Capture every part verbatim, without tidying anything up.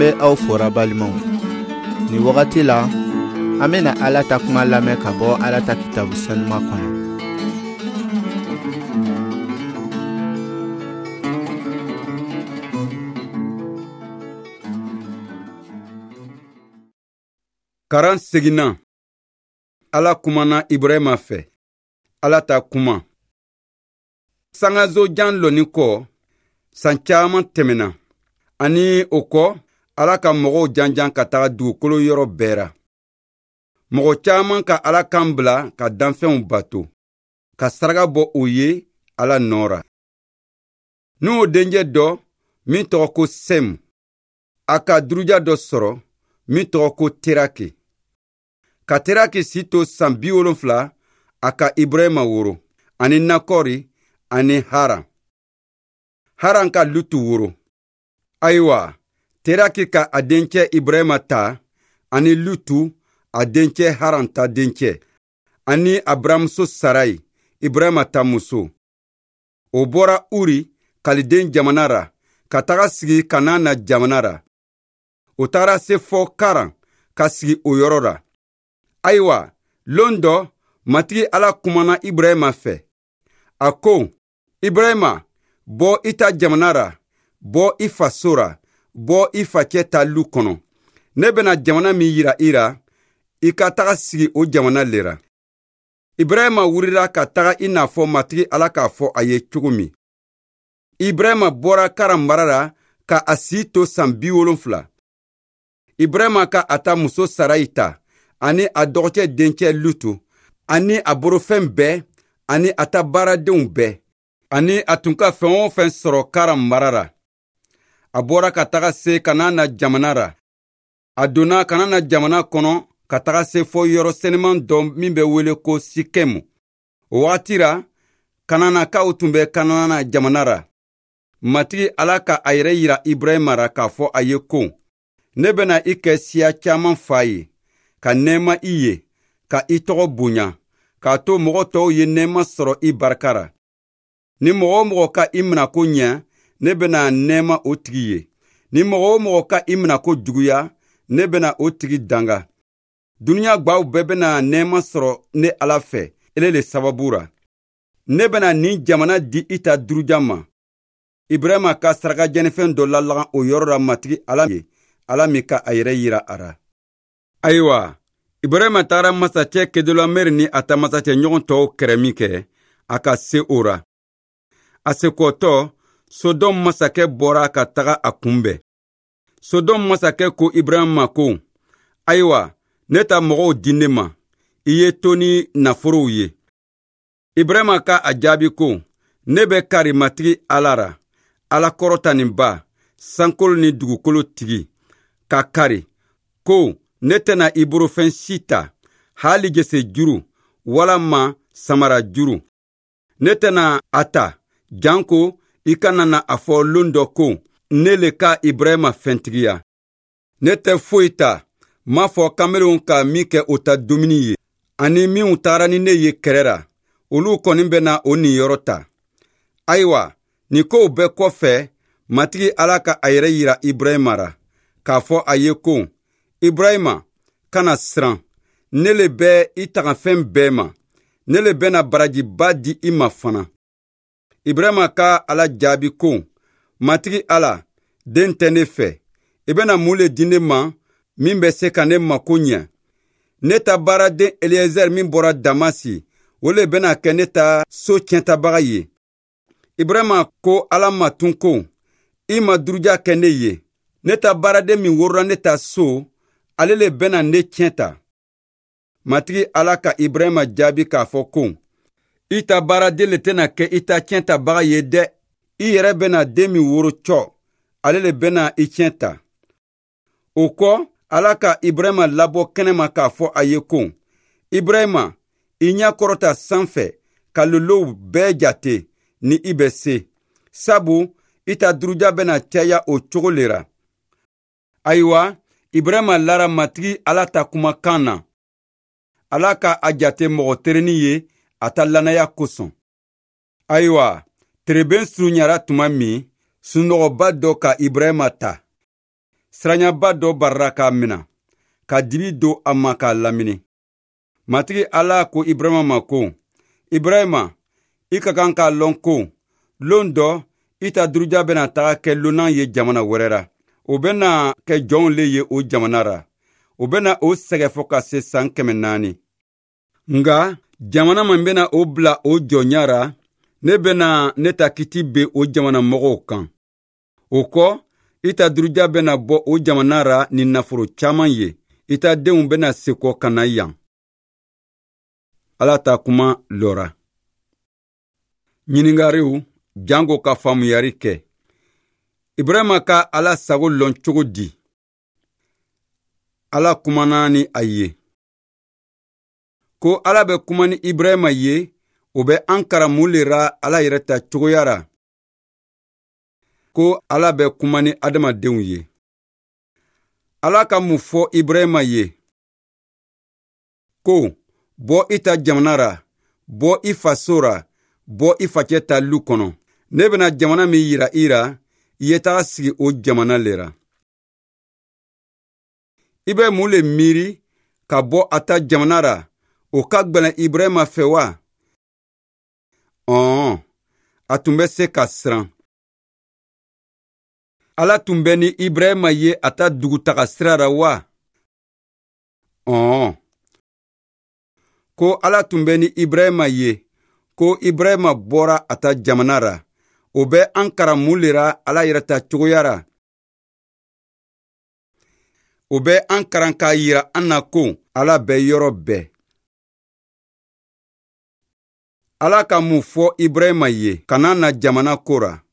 An bɛ aw fora balimaw. Nin wagati la, an bɛna Ala ta kuma lamɛn ka bɔ Ala ta kitabu sanuma kɔnɔ. Karan seginna. Ala kumana Ibrahima fɛ. Ala ta kuma. Sangaso jan lɔnni kɔ, san caman tɛmɛna. Ani o kɔ, Ala ka mɔgɔw janjan ka taga dugukolo yɔrɔ bɛɛ ra. Mɔgɔ caman ka Ala kan bila ka danfɛnw bato, ka saraka bɔ o ye Ala nɔ ra. N'o dencɛ dɔ min tɔgɔ ko Sɛmu, a ka duruja dɔ sɔrɔ min tɔgɔ ko Teraki. Ka Teraki si to san bi wolonfila, a ka Ibrahima woro, ani Nakɔri, ani Haran. Haran ka Lutu woro. Ayiwa, Teraki ka a dencɛ Ibrahima ta, ani Lutu, a dencɛ Haran ta dencɛ, ani a buramuso Sarayi, Ibrahima ta muso. O bɔra Uri, Kaliden jamana ra, ka taga sigi Kanana jamana ra. O taara se fɔ Karan, ka sigi o yɔrɔ ra. Ayiwa, lon dɔ, Matigi Ala kumana Ibrahima fɛ. A ko, Ibrahima, bɔ i ta jamana ra, bɔ i faso ra, bɔ i facɛ ta lu kɔnɔ. Ne bɛna jamana min yira i ra, i ka taga sigi o jamana le ra. Ibrahima wulila ka taga i n'a fɔ Matigi Ala k'a fɔ a ye cogo min. Ibrahima bɔra Karan mara la ka a si to san bi wolonfila. Ibrahima ka a ta muso Sarayi ta, ani a dɔgɔcɛ dencɛ Lutu, ani a borofɛn bɛɛ, ani a ta baaradenw bɛɛ, ani a tun ka fɛn o fɛn sɔrɔ Karan mara la. A bɔra ka taga se Kanana jamana ra. A donna Kanana jamana kɔnɔ ka taga se fɔ yɔrɔ sɛnɛman dɔ min bɛ wele ko Sikɛmu. O wagati ra, Kananakaw tun bɛ Kanana jamana ra. Matigi Ala ka a yɛrɛ yira Ibrahima ra k'a fɔ a ye ko, ne bɛna i kɛ siya caman fa ye, ka nɛɛma i ye, ka i tɔgɔ bonya, k'a to mɔgɔ tɔw ye nɛɛma sɔrɔ i barika ra. Ni mɔgɔ o mɔgɔ ka i minɛ ko ɲɛ, ne bɛna nɛɛma o tigi ye. Ni mɔgɔ o mɔgɔ ka i minɛ ko juguya, ne bɛna o tigi danga. Dunuya gwaw bɛɛ bɛna nɛɛma sɔrɔ ne Ala fɛ, ele le sababu ra. Ne bɛna nin jamana di i ta duruja ma. Ibrahima ka saraka jɛnifɛn dɔ lalagan o yɔrɔ la Matigi Ala ye, Ala min ka a yɛrɛ yira a ra. Ayiwa, Ibrahima taara masacɛ Kedorlaomɛri ni a ta masacɛ ɲɔgɔn tɔw kɛrɛ min kɛ, a ka se o ra. A sekɔtɔ, Sodɔm masakɛ bɔra ka taga a kunbɛn. Sodɔm masakɛ ko Ibrahima ma ko, ayiwa, ne ta mɔgɔw di ne ma, i ye to ni nafolow ye. Ibrahima ka a jaabi ko, ne bɛ kari Matigi Ala ra, Ala kɔrɔtaninba, sankolo ni dugukolo tigi, ka kari ko ne tɛna i borofɛn si ta, hali jese juru walama samara juru. Ne tɛna a ta, janko i kana na a fɔ lon dɔ ko ne le ka Ibrahima fɛntigiya. Ne tɛ foyi ta, m'a fɔ kamelenw ka min kɛ o ta dumuni ye, ani minw taara ni ne ye kɛrɛ ra, olu kɔni bɛna o niyɔrɔ ta. Ayiwa, nin kow bɛɛ kɔfɛ, Matigi Ala ka a yɛrɛ yira Ibrahima ra, k'a fɔ a ye ko, Ibrahima, kana siran, ne le bɛ i tagafɛn bɛɛ ma, ne le bɛna barajiba di i ma fana. Ibrahima ka Ala jaabi ko, Matigi Ala, den tɛ ne fɛ, i bɛna mun le di ne ma min bɛ se ka ne mako ɲɛ? Ne ta baaraden Eliezer min bɔra Damasi, o le bɛna kɛ ne ta so tiɲɛtabaga ye. Ibrahima ko Ala ma tun ko, i ma duruja kɛ ne ye, ne ta baaraden min worola ne ta so, ale le bɛna ne tiɲɛ ta. Matigi Ala ka Ibrahima jaabi k'a fɔ ko, i ta baaraden le tɛna kɛ i ta tiɲɛ tabaga ye dɛ, i yɛrɛ bɛna den min woro cɔ, ale le bɛna i tiɲɛ ta. O kɔ, Ala ka Ibrahima labɔ kɛnɛma k'a fɔ a ye ko, Ibrahima, i ɲɛ kɔrɔta sanfɛ ka lolow bɛɛ jate ni i bɛ se, sabu i ta duruja bɛna caya o cogo le ra. Ayiwa, Ibrahima lara Matigi Ala ta kumakan na. Ala ka a jate mɔgɔ terenin ye a ta lannaya kosɔn. Ayiwa, tereben surunyara tuma min, sunɔgɔba dɔ ka Ibrahima ta. Siranyaba dɔ barara k'a mina, ka dibi don a ma k'a lamini. Matigi Ala ko Ibrahima ma ko, Ibrahima, i ka kan k'a lɔn ko, lon dɔ, i ta duruja bɛna taga kɛ lonan ye jamana wɛrɛ ra. O bɛna kɛ jɔnw le ye o jamana ra. O bɛna o sɛgɛ fɔ ka se san kɛmɛ naani. Nka jamana min bɛna o bila o jɔnya ra, ne bɛna ne ta kiti be o jamana mɔgɔw kan. O kɔ, i ta duruja bɛna bɔ o jamana ra ni nafolo caman ye. I ta denw bɛna sekɔ ka na yan. Ala ta kuma lɔra. Ɲininkariw janko ka faamuyari kɛ. Ibrahima ka Ala sago lɔn cogo di? Ala kumana ni a ye. Ko Ala bɛ kuma ni Ibrahima ye, o bɛ an karan mun le ra Ala yɛrɛ ta cogoya ra? Ko Ala bɛ kuma ni adamadenw ye. Ala ka mun fɔ Ibrahima ye? Ko, bɔ i ta jamana ra, bɔ i faso ra, bɔ i facɛ ta lu kɔnɔ. Ne bɛna jamana min yira i ra, i ye taga sigi o jamana le ra. I bɛ mun le miiri ka bɔ a ta jamana ra, o ka gwɛlɛn Ibrahima fɛ wa? Ɔn, a tun bɛ se ka siran. Ala tun bɛ ni Ibrahima ye a ta dugutaga sira ra wa? Ɔn. Ko Ala tun bɛ ni Ibrahima ye, ko Ibrahima bɔra a ta jamana ra, o bɛ an karan mun le ra Ala yɛrɛ ta cogoya ra? O bɛ an karan k'a yira an na ko Ala bɛ yɔrɔ bɛɛ. Ala ka mun fɔ Ibrahima ye kana na jamana ko ra?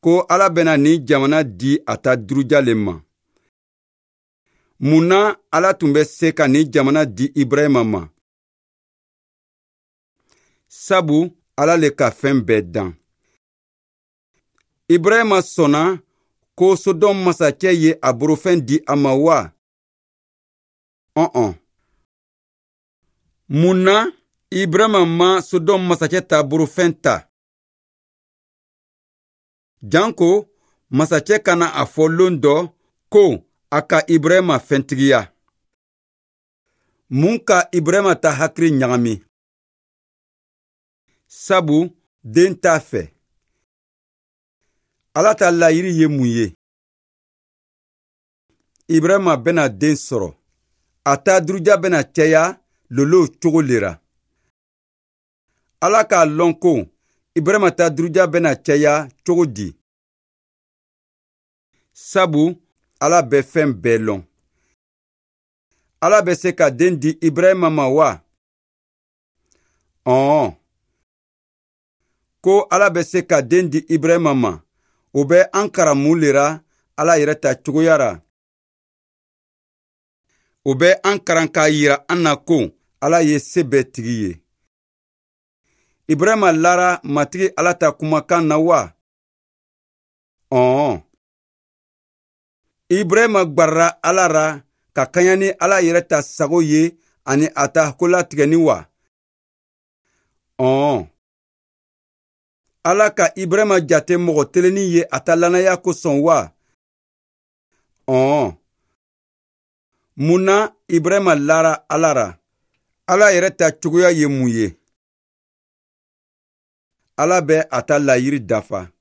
Ko Ala bɛna nin jamana di a ta duruja le ma. Mun na Ala tun bɛ se ka nin jamana di Ibrahima ma? Sabu Ala le ka fɛn bɛɛ dan. Ibrahima sɔnna ko Sodɔm masakɛ ye a borofɛn di a ma wa? Ɔn-ɔn. Mun na Ibrahima ma Sodɔm masakɛ ta borofɛn ta? Janko masakɛ kana a fɔ lon dɔ ko a ka Ibrahima fɛntigiya. Mun ka Ibrahima ta hakili ɲagami? Sabu den t'a fɛ. Ala ta layiri ye mun ye? Ibrahima bɛna den sɔrɔ. A ta duruja bɛna caya lolow cogo le ra. Ala k'a lɔn ko Ibrahima ta duruja bɛna caya cogo di? Sabu Ala bɛ fɛn bɛɛ lɔn. Ala bɛ se ka den di Ibrahima ma wa? Ɔn. Ko Ala bɛ se ka den di Ibrahima ma, o bɛ an karan mun le ra Ala yɛrɛ ta cogoya ra? O bɛ an karan k'a yira an na ko Ala ye se bɛɛ tigi ye. Ibrahima lara Matigi Ala ta kumakan na wa? Ɔn. Ibrahima gbarara Ala ra ka kaɲa ni Ala yɛrɛ ta sago ye ani a ta kolatigɛni wa? Ɔn. Ala ka Ibrahima jate mɔgɔ telennin ye a ta lanaya kosɔn wa? Ɔn. Mun na Ibrahima lara Ala ra? Ala yɛrɛ ta cogoya ye mun ye? Ala bɛ a ta layiri dafa.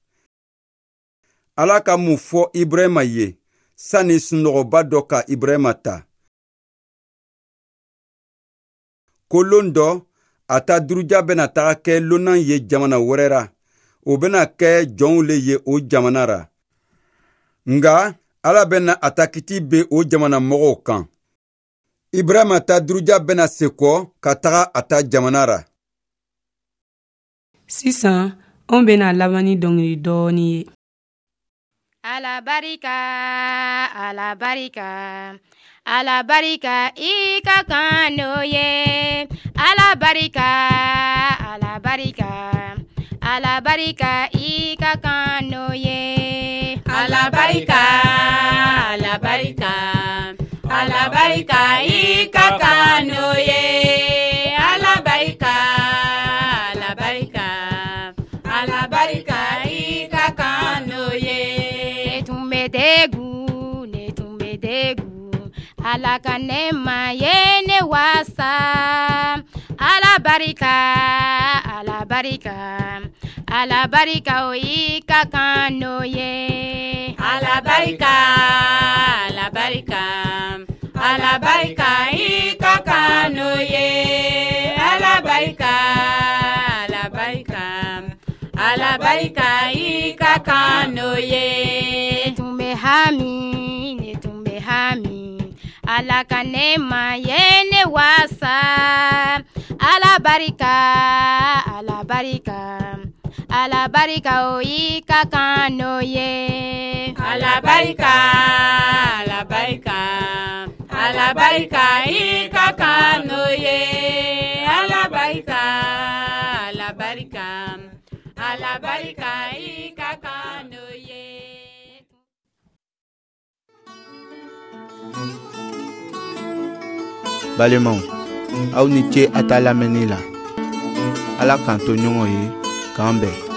Ala ka mun fɔ Ibrahima ye sani sunɔgɔba dɔ ka Ibrahima ta? Ko lon dɔ, a ta duruja bɛna taga kɛ lonan ye jamana wɛrɛ ra. O bɛna kɛ jɔnw le ye o jamana ra. Nka Ala bɛna a ta kiti be o jamana mɔgɔw kan. Ibrahima ta duruja bɛna sekɔ ka taga a ta jamana ra. Sisan, anw bɛna laban ni dɔnkili dɔɔni ye. Ala barika, Ala barika, Ala barika i ka kan n'o ye. Ala barika, Ala barika, Ala barika i ka kan n'o ye. Ala barika, Ala barika, Ala barika i ka kan n'o ye. Ala barika, Ala barika, Ala barika i ka kan n'o ye. Tun Ala ka nɛɛma ye ne wasa. Ala barika, Ala barika, Ala barika o y'i ka kan n'o ye. Ala barika, Ala barika, Ala barika i ka kan n'o ye. Ala barika, Ala barika, Ala barika i ka kan n'o ye. Ne tun bɛ hami, ne tun bɛ hami, Ala ka nɛɛma ye ne wasa. Ala barika, Ala barika, Ala barika o y'i ka kan n'o ye. Ala barika, Ala barika, Ala barika i ka kan n'o ye. Ala barika, Ala barika, Ala barika i ka kan n'o ye. Balimaw, aw ni ce a ta lamɛnni la. Ala k'an to ɲɔgɔn ye, k'an bɛn.